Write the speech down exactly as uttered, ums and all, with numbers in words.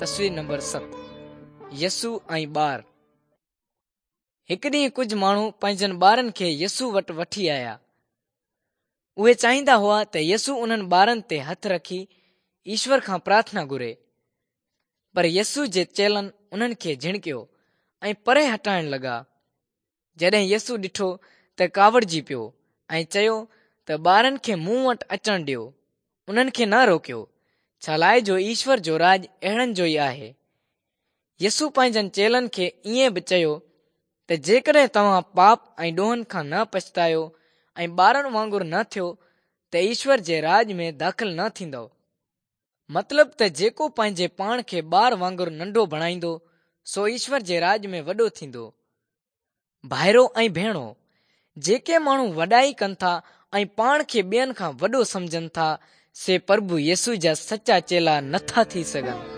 تصوير نمبر ست، يسوع ۽ ٻار. هڪ ڏينهن ڪجهه ماڻهو پنهنجن ٻارن کي يسوع وٽ وٺي آيا. اهي چاهيندا هئا ته يسوع انهن ٻارن تي هٿ رکي ايشور کان پرارٿنا گهري. پر يسوع جي چيلن انهن کي جهڻڪيو ۽ پري هٽائڻ لڳا. جڏهن يسوع ڏٺو ته ڪاوڙجي پيو ۽ چيو ته ٻارن کي مون وٽ اچڻ ڏيو، انهن کي نه روڪيو، ڇا لاءِ جو ايشور جو راڄ اهڙن جو ئي آهي. يسوع پنهنجن چيلن کي ائين به چيو ته جيڪڏهن توهان پاپ ۽ ڏوهن کان نه پڇتايو ۽ ٻارن وانگر نه ٿيو ته ايشور جي راڄ ۾ داخل نه ٿيندؤ. مطلب ته جيڪو پنهنجي پاڻ کي ٻار وانگر ننڍو بڻائيندو سو ايشور جي راڄ ۾ وڏو ٿيندو. ڀائرو ۽ ڀيڻو، جيڪي ماڻهو وڏائي ڪن ٿا ۽ پاڻ کي ٻين کان وڏو سمجهن ٿا، سي پرڀو يسوع جا سچا چيلا نٿا ٿي سگهن.